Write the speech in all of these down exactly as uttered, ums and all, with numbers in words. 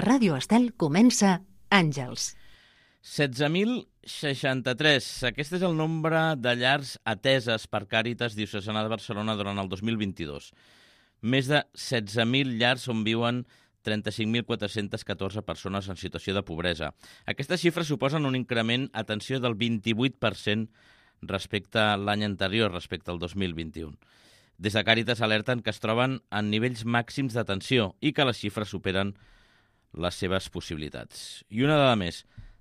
A Ràdio Estel comença Àngels. setze mil seixanta-tres. Aquest és el nombre de llars ateses per Càritas Diocesana de Barcelona durant el dos mil vint-i-dos. Més de setze mil llars on viuen trenta-cinc mil quatre-cents catorze persones en situació de pobresa. Aquestes xifres suposen un increment, atenció, del vint-i-vuit per cent respecte a l'any anterior, respecte al dos mil vint-i-u. Des de Càritas alerten que es troben en nivells màxims d'atenció i que les xifres superen les seves possibilitats. I una dada més,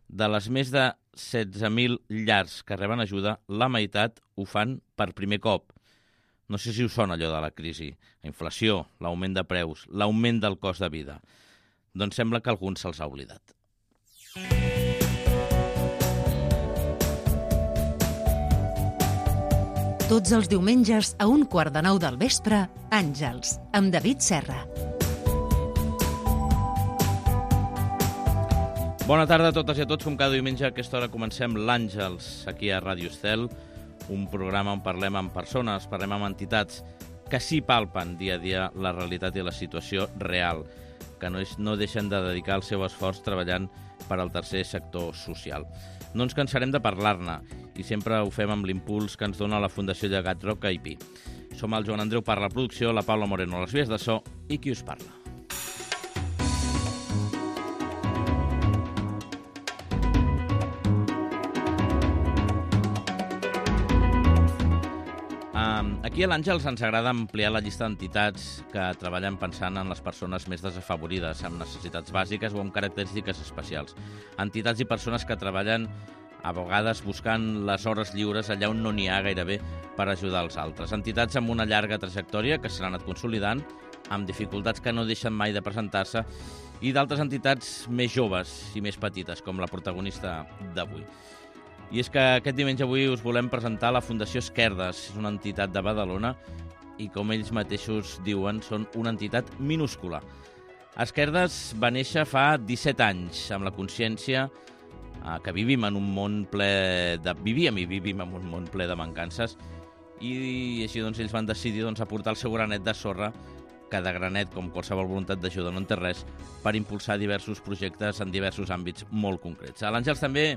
de les més de setze mil llars que reben ajuda, la meitat ho fan per primer cop. No sé si us sona allò de la crisi, la inflació, l'augment de preus, l'augment del cost de vida. Doncs sembla que a alguns se'ls ha oblidat. Tots els diumenges a un quart de nou del vespre, Àngels, amb David Serra. Bona tarda a totes i a tots, com cada diumenge a aquesta hora comencem l'Àngels, aquí a Ràdio Estel, un programa on parlem amb persones, parlem amb entitats que sí palpen dia a dia la realitat i la situació real, que no, és, no deixen de dedicar el seu esforç treballant per al tercer sector social. No ens cansarem de parlar-ne i sempre ho fem amb l'impuls que ens dona la Fundació Llegat Roca i Pi. Som el Joan Andreu per la producció, la Paula Moreno a les vies de so i qui us parla. Aquí a l'Àngels ens agrada ampliar la llista d'entitats que treballen pensant en les persones més desafavorides, amb necessitats bàsiques o amb característiques especials. Entitats i persones que treballen a vegades buscant les hores lliures allà on no n'hi ha gairebé per ajudar els altres. Entitats amb una llarga trajectòria que s'han anat consolidant, amb dificultats que no deixen mai de presentar-se, i d'altres entitats més joves i més petites, com la protagonista d'avui. I és que aquest diumenge avui us volem presentar la Fundació Esquerdes. És una entitat de Badalona i, com ells mateixos diuen, són una entitat minúscula. Esquerdes va néixer fa disset anys, amb la consciència eh, que vivim en un món ple de... Vivíem i vivim en un món ple de mancances i així doncs ells van decidir doncs, aportar el seu granet de sorra, que de granet, com qualsevol voluntat d'ajuda no en té res, per impulsar diversos projectes en diversos àmbits molt concrets. A l'Àngels també...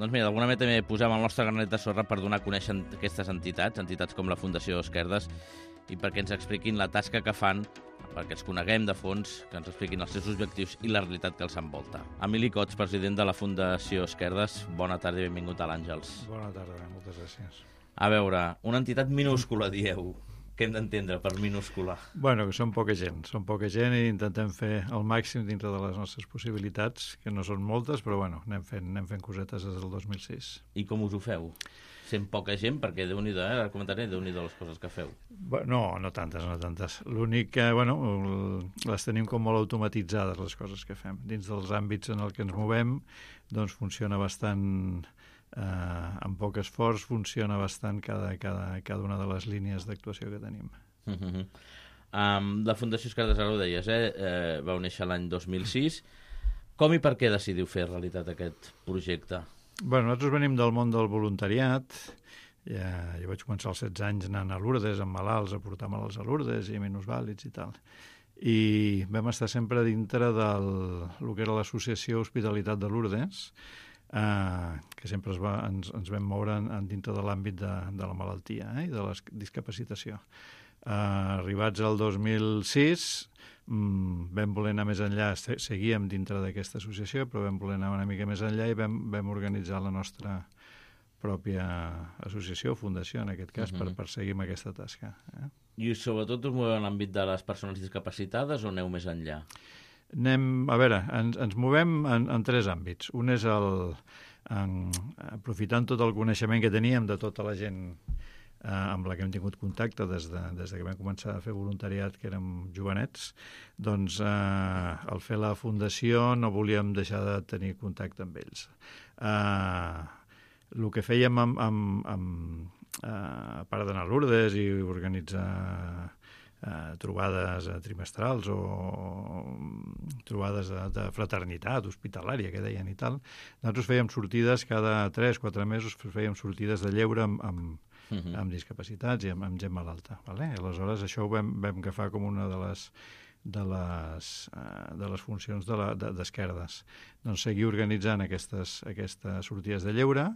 Doncs mira, d'alguna manera també posem el nostre granet de sorra per donar a conèixer aquestes entitats, entitats com la Fundació Esquerdes, i perquè ens expliquin la tasca que fan, perquè els coneguem de fons, que ens expliquin els seus objectius i la realitat que els envolta. Emili Cots, president de la Fundació Esquerdes, bona tarda i benvingut a l'Àngels. Bona tarda, moltes gràcies. A veure, una entitat minúscula, dieu. Què hem d'entendre per minúscula? Bueno, que som poca gent, som poca gent i intentem fer el màxim dintre de les nostres possibilitats, que no són moltes, però bueno, anem fent, anem fent cosetes des del dos mil sis. I com us ho feu? Sent poca gent, perquè Déu-n'hi-do, eh? Ara comentaré Déu-n'hi-do les coses que feu. No, no tantes, no tantes. L'únic que, bueno, les tenim com molt automatitzades, les coses que fem. Dins dels àmbits en el que ens movem, doncs funciona bastant... Eh, amb poc esforç funciona bastant cada, cada, cada una de les línies d'actuació que tenim. Uh -huh. um, la Fundació Esquerdes, ara ho deies, eh? eh vau néixer l'any dos mil sis. Com i per què decidiu fer realitat aquest projecte? Bueno, nosaltres venim del món del voluntariat. Ja, jo vaig començar als setze anys anant a Lourdes amb malalts, a portar malalts a Lourdes i minusvàlids i tal. I vam estar sempre dintre del el que era l'associació Hospitalitat de Lourdes, Uh, que sempre es va, ens, ens vam moure en, en dintre de l'àmbit de, de la malaltia eh, i de la discapacitació. Uh, arribats al dos mil sis, um, vam voler anar més enllà, seguíem dintre d'aquesta associació, però vam voler anar una mica més enllà i vam, vam organitzar la nostra pròpia associació, fundació, en aquest cas, uh-huh. per, per seguir amb aquesta tasca. Eh? I sobretot us moveu en l'àmbit de les persones discapacitades o aneu més enllà? Anem, a veure, ens, ens movem en, en tres àmbits. Un és el, en, aprofitant tot el coneixement que teníem de tota la gent eh, amb la que hem tingut contacte des de, des de que vam començar a fer voluntariat, que érem jovenets, doncs eh, al fer la fundació no volíem deixar de tenir contacte amb ells. Eh, el que fèiem amb, amb, amb, eh, a part d'anar a Lourdes i organitzar eh, trobades eh, trimestrals o trobades de, de fraternitat hospitalària, que deien i tal. Nosaltres fèiem sortides cada tres quatre mesos, fèiem sortides de lleure amb, amb, uh-huh. amb discapacitats i amb, amb gent malalta. Vale? I aleshores això ho vam, vam agafar com una de les de les, uh, de les funcions d'Esquerdes. De, de, doncs seguir organitzant aquestes, aquestes sortides de lleure.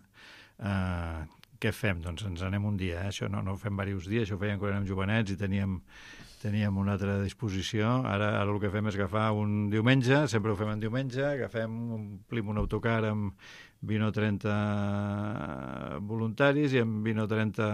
Uh, què fem? Doncs ens anem un dia, eh? Això no, no ho fem diversos dies, això ho fèiem quan érem jovenets i teníem, teníem una altra disposició. Ara, ara el que fem és agafar un diumenge, sempre ho fem en diumenge, agafem, omplim un autocar amb vint o trenta voluntaris i amb vint o trenta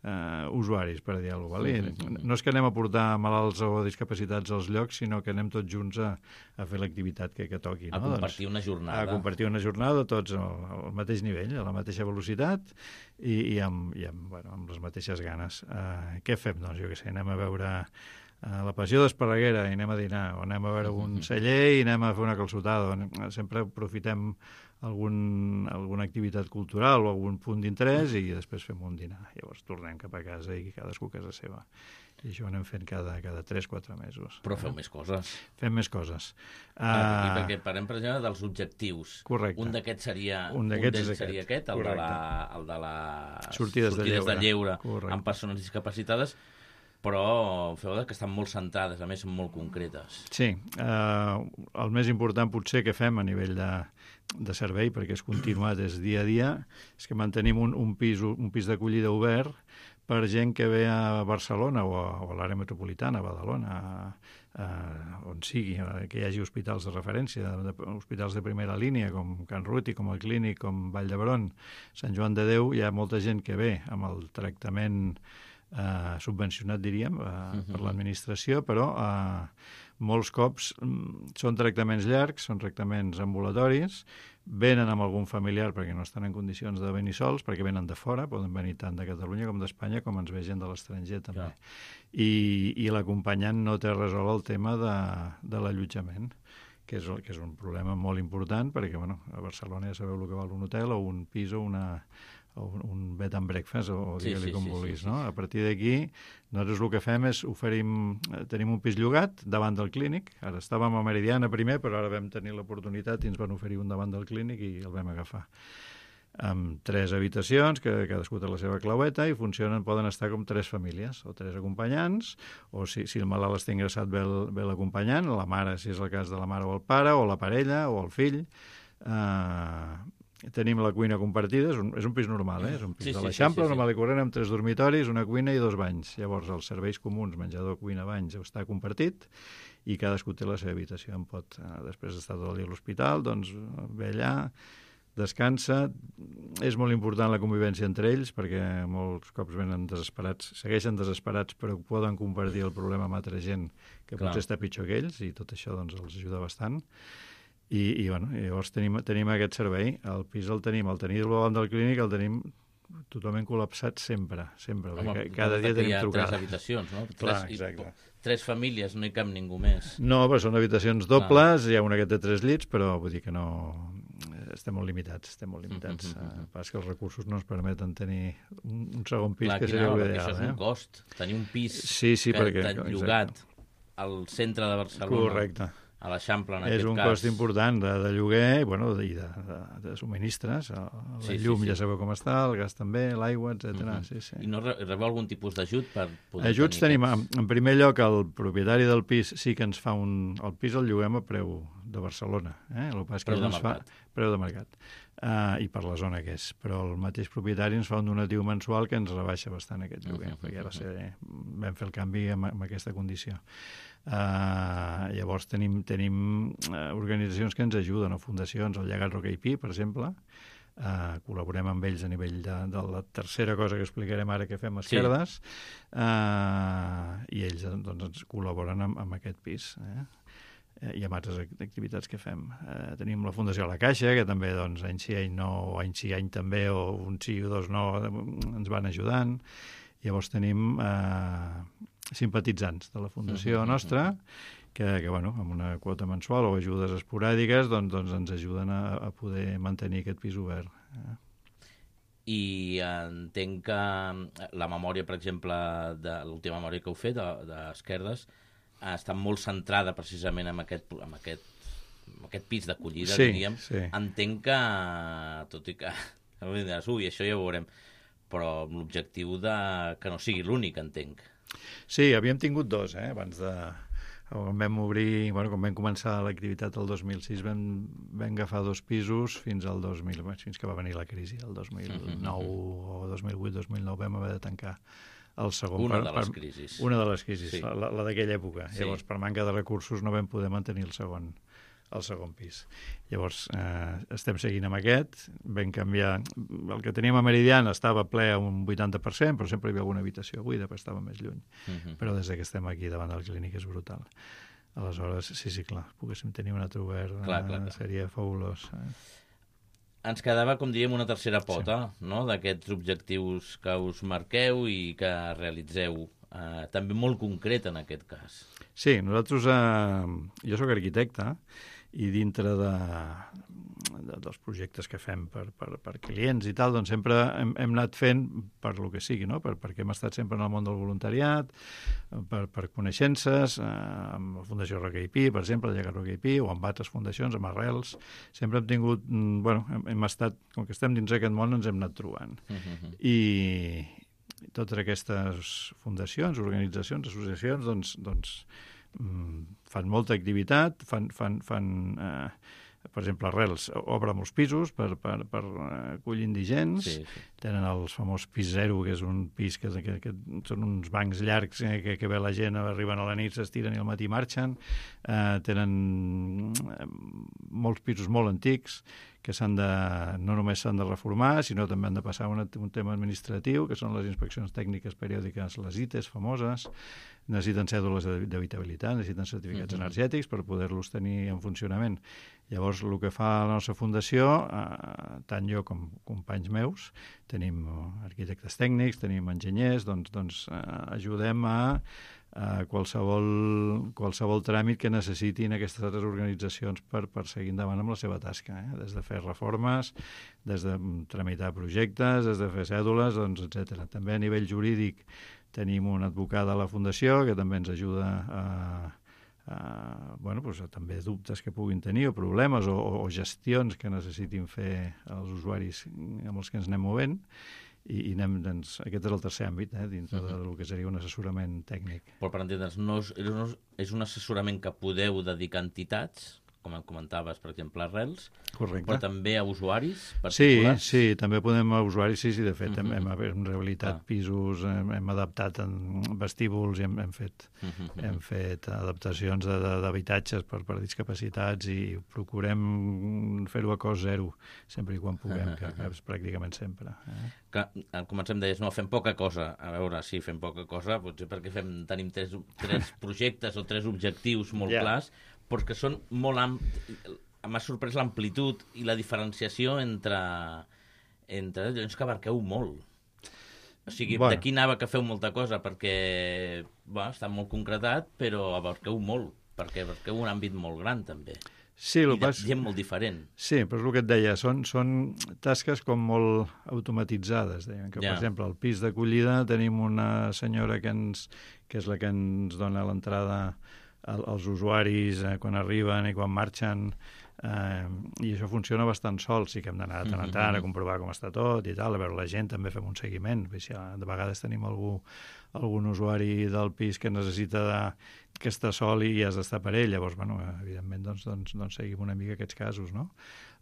eh, usuaris, per dir alguna cosa. Mm-hmm. No és que anem a portar malalts o discapacitats als llocs, sinó que anem tots junts a, a fer l'activitat que, que toqui. A no? compartir doncs, una jornada. A compartir una jornada, tots al, al mateix nivell, a la mateixa velocitat i, i, amb, i amb, bueno, amb les mateixes ganes. Uh, què fem? Doncs jo què sé, anem a veure uh, la Passió d'Esparreguera i anem a dinar, o anem a veure un celler i anem a fer una calçotada. Sempre aprofitem algun, alguna activitat cultural o algun punt d'interès i després fem un dinar. Llavors tornem cap a casa i cadascú a casa seva. I això ho anem fent cada, cada tres o quatre mesos. Però feu més coses. Fem més coses. Ah, uh, perquè parlem, per exemple, dels objectius. Correcte. Un d'aquests seria, un d'aquests un seria aquest, el de, la, el de les sortides, sortides de lleure, de lleure amb persones discapacitades, però feu que estan molt centrades, a més són molt concretes. Sí. Uh, el més important potser que fem a nivell de, de servei, perquè és continuat, és dia a dia, és que mantenim un, un pis, un pis d'acollida obert per gent que ve a Barcelona o a, o a l'àrea metropolitana, a Badalona, a, a, on sigui, que hi hagi hospitals de referència, de, de, hospitals de primera línia, com Can Ruti, com el Clínic, com Vall d'Hebron, Sant Joan de Déu. Hi ha molta gent que ve amb el tractament eh, subvencionat, diríem, eh, uh-huh. per l'administració, però eh, molts cops mm, són tractaments llargs, són tractaments ambulatoris, venen amb algun familiar perquè no estan en condicions de venir sols, perquè venen de fora, poden venir tant de Catalunya com d'Espanya, com ens ve gent de l'estranger també. Ja. I, i l'acompanyant no té resolt el tema de, de l'allotjament, que és, que és un problema molt important, perquè bueno, a Barcelona ja sabeu el que val un hotel o un pis o una... o un bed and breakfast, o sí, digue-li sí, com sí, vulguis, sí, sí. No? A partir d'aquí, nosaltres el que fem és oferim, tenim un pis llogat davant del Clínic. Ara estàvem a Meridiana primer, però ara vam tenir l'oportunitat i ens van oferir un davant del Clínic i el vam agafar. Amb tres habitacions, que cadascú té la seva claueta, i funcionen, poden estar com tres famílies, o tres acompanyants, o si, si el malalt està ingressat ve, el, ve l'acompanyant, la mare, si és el cas de la mare o el pare, o la parella, o el fill. Eh... Tenim la cuina compartida, és un, és un pis normal, eh? És un pis sí, de l'Eixample, sí, sí, sí. normal i corrent, amb tres dormitoris, una cuina i dos banys. Llavors, els serveis comuns, menjador, cuina, banys, està compartit i cadascú té la seva habitació. En pot, eh, després d'estar tot el dia a l'hospital, doncs ve allà, descansa. És molt important la convivència entre ells, perquè molts cops venen desesperats, segueixen desesperats, però poden compartir el problema amb altra gent que Clar. Potser està pitjor que ells, i tot això doncs, els ajuda bastant. I, i bueno, llavors tenim, tenim aquest servei. El pis el tenim, el tenir davant del Clínic el tenim totalment col·lapsat sempre, sempre. Home, cada dia tenim trucades. Hi ha tres habitacions, no? Clar, tres, exacte. Tres famílies, no hi cap ningú més. No, però són habitacions dobles, Clar. Hi ha una que té tres llits, però vull dir que no... Estem molt limitats, estem molt limitats. Uh, -huh. Pas que els recursos no ens permeten tenir un, un segon pis, Clar, que seria no, l'ideal. Això és eh? un cost, tenir un pis sí, sí, que perquè, t'han llogat al centre de Barcelona. Correcte. A l'Eixample, en és aquest un cas. cost important de, de lloguer i bueno, de, de, de, de subministres. La sí, llum sí, sí. ja sabeu com està, el gas també, l'aigua, etcètera. Uh -huh. sí, sí. I no rebeu algun tipus d'ajut per poder Ajuts tenir tenim, aquests... en primer lloc, el propietari del pis sí que ens fa un... El pis el lloguem a preu de Barcelona. Eh? El pas que preu de ens mercat. Fa, preu de mercat. Uh, i per la zona que és. Però el mateix propietari ens fa un donatiu mensual que ens rebaixa bastant aquest lloguer, uh -huh, perquè va ser, vam fer el canvi amb, amb aquesta condició. Uh, llavors tenim, tenim uh, organitzacions que ens ajuden, o fundacions, el Llegat Roca i Pi, per exemple. Uh, col·laborem amb ells a nivell de, de la tercera cosa que explicarem ara que fem a Esquerdes, sí. uh, i ells doncs, ens col·laboren amb, amb aquest pis, eh? I amb altres activitats que fem. Eh, tenim la Fundació La Caixa, que també doncs, any sí, any no, o any sí, any també, o un sí o dos no, ens van ajudant. Llavors tenim eh, simpatitzants de la Fundació nostra, que, que bueno, amb una quota mensual o ajudes esporàdiques doncs, doncs ens ajuden a, a poder mantenir aquest pis obert. Eh? I entenc que la memòria, per exemple, de l'última memòria que heu fet, d'Esquerdes, està molt centrada precisament en aquest, en aquest, en aquest pis d'acollida, sí, diríem. Sí. Entenc que, tot i que, ui, això ja ho veurem, però amb l'objectiu de que no sigui l'únic, entenc. Sí, havíem tingut dos, eh, abans de, quan vam obrir, bueno, quan vam començar l'activitat el dos mil sis, vam, vam agafar dos pisos fins al dos mil, fins que va venir la crisi, el dos mil nou o dos mil vuit dos mil nou vam haver de tancar el segon. Una per, de les per, crisis. Una de les crisis, Sí. la, la d'aquella època. Sí. Llavors, per manca de recursos no vam poder mantenir el segon, el segon pis. Llavors, eh, estem seguint amb aquest, vam canviar... El que teníem a Meridiana estava ple a un vuitanta per cent, però sempre hi havia alguna habitació buida, però estava més lluny. Uh-huh. Però des que estem aquí davant de la clínica és brutal. Aleshores, sí, sí, clar, poguéssim tenir un altre obert, Clar, clar, clar. seria fabulós. Eh? Ens quedava, com diríem, una tercera pota, no?, d'aquests objectius que us marqueu i que realitzeu, eh, també molt concret en aquest cas. Sí, nosaltres... Eh, jo sóc arquitecte i dintre de, de, dels projectes que fem per, per, per clients i tal, doncs sempre hem, hem anat fent per lo que sigui, no? Per, perquè hem estat sempre en el món del voluntariat, per, per coneixences, eh, amb la Fundació Roca i Pi, per exemple, el Llegat Roca i Pi, o amb altres fundacions, amb Arrels. Sempre hem tingut... Bueno, hem, hem estat... Com que estem dins aquest món, ens hem anat trobant. Uh-huh. I totes aquestes fundacions, organitzacions, associacions, doncs, doncs fan molta activitat, fan, fan, fan eh, per exemple, Arrels obre molts pisos per, per, per acollir indigents, sí, sí. Tenen el famós pis zero, que és un pis que, que, que són uns bancs llargs eh, que, que ve la gent, arriben a la nit, s'estiren i al matí marxen, eh, tenen molts pisos molt antics que s'han de, no només s'han de reformar, sinó també han de passar un, un tema administratiu, que són les inspeccions tècniques periòdiques, les I T E S famoses, necessiten cèdules d'habitabilitat, necessiten certificats uh-huh. energètics per poder-los tenir en funcionament. Llavors, el que fa la nostra fundació, eh, tant jo com companys meus, tenim arquitectes tècnics, tenim enginyers, doncs, doncs eh, ajudem a, a qualsevol, qualsevol tràmit que necessitin aquestes altres organitzacions per, per seguir endavant amb la seva tasca, eh? Des de fer reformes, des de tramitar projectes, des de fer cèdules, doncs, etcètera. També a nivell jurídic tenim una advocada a la Fundació que també ens ajuda a, a bueno, doncs, a també dubtes que puguin tenir o problemes o, o gestions que necessitin fer els usuaris amb els que ens anem movent i, i anem, doncs, aquest és el tercer àmbit, eh, dintre uh-huh. del que seria un assessorament tècnic. Però per entendre'ns, no és, és un assessorament que podeu dedicar a entitats, com em comentaves, per exemple, Arrels, correcte. Però també a usuaris particulars? Sí, sí, també podem a usuaris, sí, sí, de fet, uh-huh. hem, hem rehabilitat uh-huh. pisos, hem, hem adaptat en vestíbuls i hem, hem, fet, uh-huh. hem fet adaptacions d'habitatges per, per discapacitats i procurem fer-ho a cost zero, sempre i quan puguem, uh-huh. que, que és pràcticament sempre. Eh? Que, al començar em deies, no, fem poca cosa. A veure, sí, fem poca cosa, potser perquè fem, tenim tres, tres projectes o tres objectius molt yeah. clars, però que són molt amplis. M'ha sorprès l'amplitud i la diferenciació entre, entre allò que abarqueu molt. O sigui, bueno. D'aquí anava que feu molta cosa, perquè bueno, està molt concretat, però abarqueu molt, perquè abarqueu un àmbit molt gran, també. Sí, I de pas... gent molt diferent. Sí, però és el que et deia, són, són tasques com molt automatitzades. Deien que, ja. Per exemple, al pis d'acollida tenim una senyora que, ens, que és la que ens dona l'entrada als usuaris eh, quan arriben i quan marxen, eh, i això funciona bastant sol. Sí que hem d'anar de tant en tant a comprovar com està tot i tal, a veure la gent, també fem un seguiment. De vegades tenim algú, algun usuari del pis que necessita de, que està sol i has d'estar per ell, llavors, bueno, evidentment, doncs, doncs, doncs seguim una mica aquests casos, no?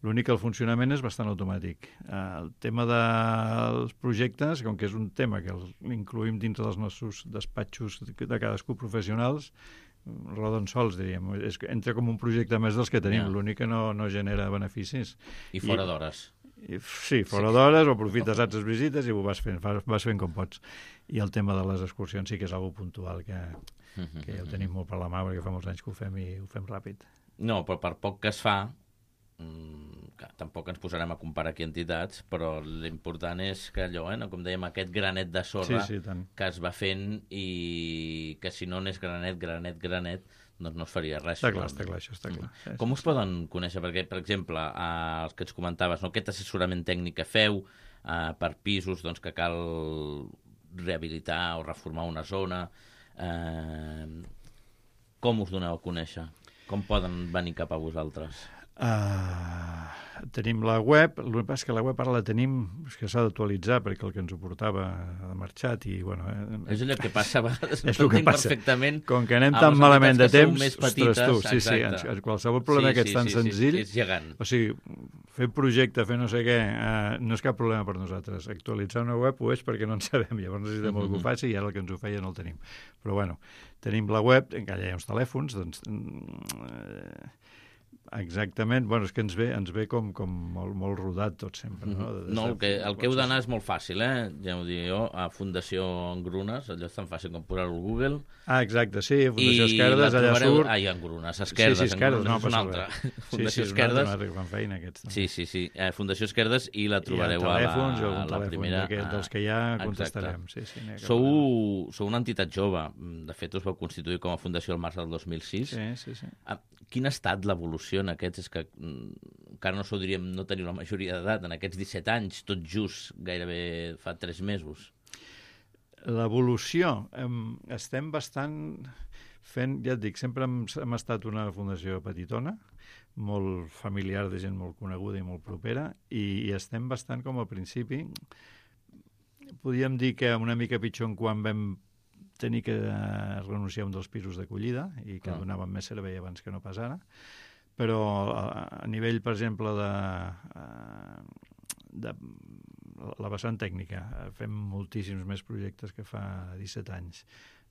L'únic que el funcionament és bastant automàtic. Eh, el tema dels projectes, com que és un tema que l'incluïm dintre dels nostres despatxos de cadascú professionals, roden sols, diríem. És, entra com un projecte més dels que tenim, yeah. L'únic que no, no genera beneficis. I fora d'hores. Sí, fora sí. d'hores, o aprofites altres visites i ho vas fent, vas fent com pots. I el tema de les excursions sí que és algo puntual, que, que ja ho tenim molt per la mà, perquè fa molts anys que ho fem i ho fem ràpid. No, però per poc que es fa, que tampoc ens posarem a comparar aquí entitats, però l'important és que allò, eh, com dèiem, aquest granet de sorra sí, sí, que es va fent i que si no n'és granet, granet, granet, doncs no es faria res. Està clar, està clar, això està clar. Sí, com us sí. poden conèixer? Perquè, per exemple, eh, els que ens comentaves, no, aquest assessorament tècnic que feu eh, per pisos doncs, que cal rehabilitar o reformar una zona, eh, com us doneu a conèixer? Com poden venir cap a vosaltres? Uh, tenim la web, el que passa és que la web ara la tenim, és que s'ha d'actualitzar perquè el que ens ho portava ha marxat i, bueno... Eh, és allò que passa a vegades, és el que passa. Perfectament. Com que anem tan malament de temps, petites, ostres, tu, sí, sí, en qualsevol problema sí, que ets tan sí, senzill... Sí, és gegant. O sigui, fer projecte, fer no sé què, eh, no és cap problema per nosaltres. Actualitzar una web ho és perquè no en sabem, llavors necessitem mm-hmm. que ho faci i ara el que ens ho feia no el tenim. Però, bueno, tenim la web, encara hi ha uns telèfons, doncs... Eh, exactament, bueno, és que ens ve, ens ve com, com molt, molt rodat tot sempre, no? De, de no, el que, el que heu d'anar és molt fàcil, eh? Ja ho dic jo, a Fundació Engrunes, allò és tan fàcil com posar-ho al Google. Ah, exacte, sí, Fundació Esquerdes, allà trobareu... surt... Ah, hi ha Engrunes, Esquerdes, sí, sí, Esquerdes, Engrunes no, és una altra. Sí, Fundació sí, Esquerdes. Sí, fan feina aquests. Sí, sí, sí, eh, Fundació Esquerdes i la trobareu I a, telèfons, a la, a la primera. Ah, dels que ja contestarem. Sí, sí, sou, sou una entitat jove, de fet us vau constituir com a fundació el març del dos mil sis. Sí, sí, sí. Ah, quina ha estat l'evolució en aquests, és que encara no s'ho diríem, no teniu la majoria d'edat, en aquests disset anys, tot just gairebé fa tres mesos? L'evolució, eh, estem bastant fent, ja et dic, sempre hem, hem estat una fundació petitona, molt familiar, de gent molt coneguda i molt propera, i, i estem bastant com al principi. Podríem dir que una mica pitjor en quan vam tenir que renunciar a un dels pisos d'acollida i que ah. donàvem més servei abans que no pas ara. Però a nivell, per exemple, de, de la vessant tècnica, fem moltíssims més projectes que fa disset anys,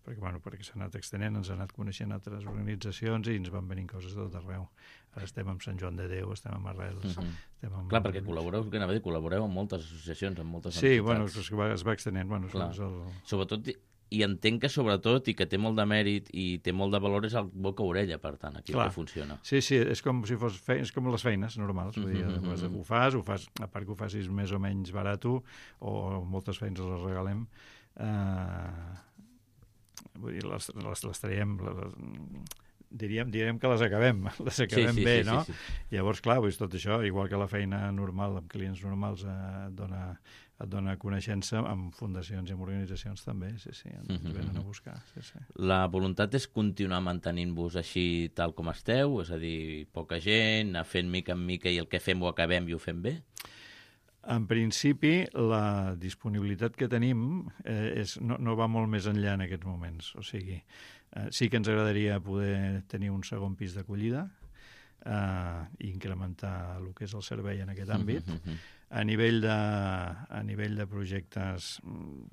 perquè, bueno, perquè s'ha anat extenent, ens ha anat coneixent altres organitzacions i ens van venint coses de tot arreu. Ara estem amb Sant Joan de Déu, estem amb Arrels... Uh-huh. estem amb... Clar, perquè col·laboreu, que anava a dir, col·laboreu amb moltes associacions, amb moltes sí, entitats. Sí, bueno, es va, es va extenent. Bueno, el... Sobretot... I entenc que, sobretot, i que té molt de mèrit i té molt de valor, és el boca-orella, per tant, aquí Clar. Que funciona. Sí, sí, és com si fos fe... és com les feines normals. Vull dir, mm-hmm. ho fas, ho fas, a part que ho facis més o menys barat, o moltes feines les regalem, eh... vull dir, les, les, les traiem... Les... Diríem, diríem que les acabem, les acabem sí, sí, bé, sí, no? Sí, sí. Llavors, clar, doncs, tot això, igual que la feina normal amb clients normals eh, et dona, et dona coneixença, amb fundacions i amb organitzacions també, sí, sí, ens mm-hmm. venen a buscar. Sí, sí. La voluntat és continuar mantenint-vos així tal com esteu, és a dir, poca gent, anar fent mica en mica i el que fem ho acabem i ho fem bé? En principi, la disponibilitat que tenim eh, és, no, no va molt més enllà en aquests moments, o sigui, Eh, sí que ens agradaria poder tenir un segon pis d'acollida eh, i incrementar el que és el servei en aquest àmbit. Uh-huh. A nivell de, a nivell de projectes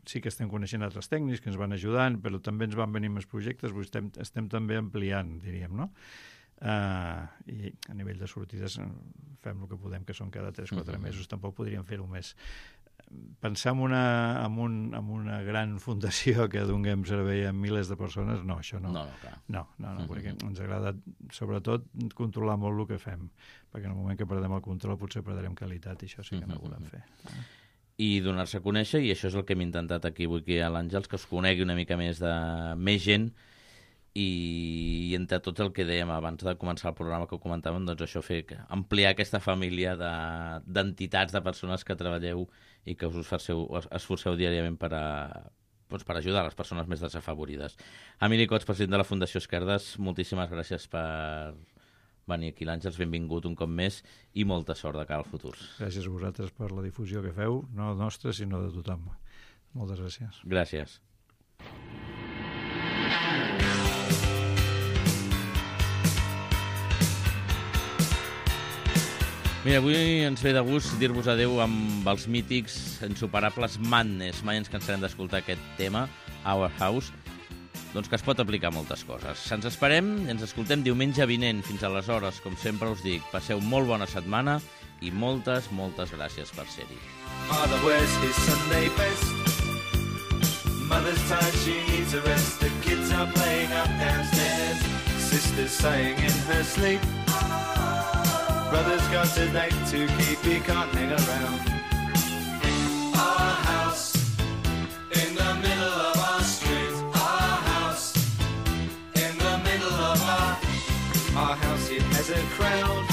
sí que estem coneixent altres tècnics que ens van ajudant, però també ens van venir més projectes, estem, estem també ampliant, diríem, no? Uh, i a nivell de sortides fem el que podem, que són cada tres o quatre uh-huh. mesos, tampoc podríem fer-ho més. Pensar en una, en, un, en una gran fundació que donem servei a milers de persones, no, això no. No, no, clar. No, no, no, uh-huh. perquè ens agrada, sobretot, controlar molt el que fem, perquè en el moment que perdem el control potser perdrem qualitat i això sí que no ho volem fer. I donar-se a conèixer, i això és el que hem intentat aquí avui aquí a l'Àngels, que us conegui una mica més de més gent, i entre tot el que dèiem abans de començar el programa que ho comentàvem, doncs això, fer ampliar aquesta família de, d'entitats, de persones que treballeu i que us esforceu, esforceu diàriament per, a, doncs per ajudar les persones més desafavorides. Emili Cots, president de la Fundació Esquerdes, moltíssimes gràcies per venir aquí l'Àngels, benvingut un cop més i molta sort de cara al futur. Gràcies a vosaltres per la difusió que feu, no nostra sinó de tothom. Moltes gràcies. Gràcies. Mira, avui ens ve de gust dir-vos adeu amb els mítics insuperables Madness. Mai ens cansarem d'escoltar aquest tema, Our House, doncs que es pot aplicar a moltes coses. Ens esperem i ens escoltem diumenge vinent. Fins aleshores, com sempre us dic, passeu molt bona setmana i moltes, moltes gràcies per ser-hi. Father wears his Sunday best. Mother's tired, she needs a rest. The kids are playing up downstairs. Sister's sighing in her sleep. Brother's got a date to keep, he can't hang around. Our house in the middle of our street. Our house in the middle of our... Our house, it has a crowd.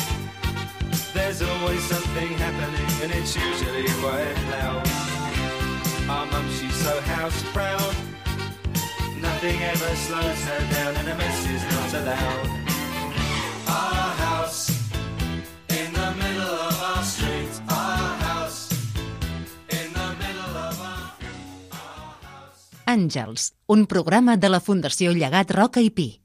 There's always something happening and it's usually quite loud. Our mum, she's so house proud. Nothing ever slows her down and a mess is not allowed. Our house in the middle of our Àngels, un programa de la Fundació Llegat Roca i Pi.